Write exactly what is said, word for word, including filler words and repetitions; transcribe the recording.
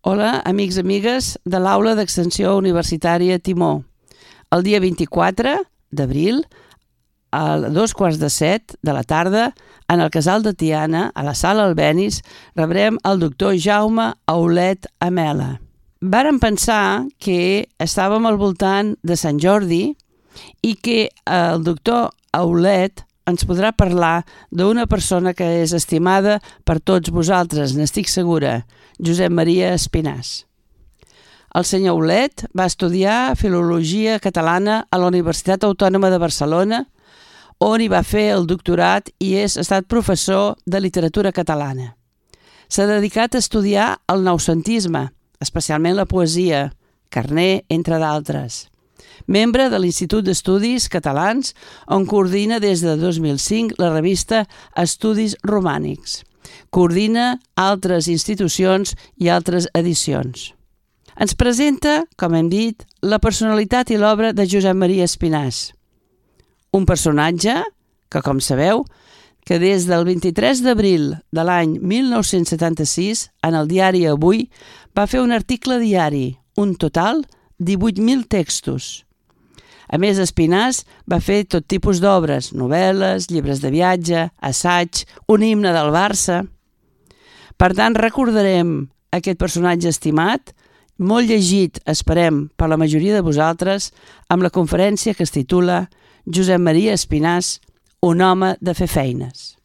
Hola, amics i amigues de l'Aula d'Extensió Universitària Timó. El dia vint-i-quatre d'abril, a dos quarts de set de la tarda, en el Casal de Tiana, a la Sala Albéniz, rebrem el doctor Jaume Aulet Amela. Vàrem pensar que estàvem al voltant de Sant Jordi i que el doctor Aulet ens podrà parlar d'una persona que és estimada per tots vosaltres, n'estic segura, Josep Maria Espinàs. El senyor Aulet va estudiar Filologia Catalana a la Universitat Autònoma de Barcelona, on hi va fer el doctorat i és, ha estat professor de literatura catalana. S'ha dedicat a estudiar el noucentisme, especialment la poesia, Carner, entre d'altres. Membre de l'Institut d'Estudis Catalans, on coordina des de dos mil cinc la revista Estudis Romànics. Coordina altres institucions i altres edicions. Ens presenta, com hem dit, la personalitat i l'obra de Josep Maria Espinàs. Un personatge que, com sabeu, que des del vint-i-tres d'abril de l'any mil nou-cents setanta-sis, en el diari Avui, va fer un article diari, un total divuit mil textos. A més, Espinàs va fer tot tipus d'obres, novel·les, llibres de viatge, assaig, un himne del Barça. Per tant, recordarem aquest personatge estimat, molt llegit, esperem, per la majoria de vosaltres, amb la conferència que es titula Josep Maria Espinàs, un home de fer feines.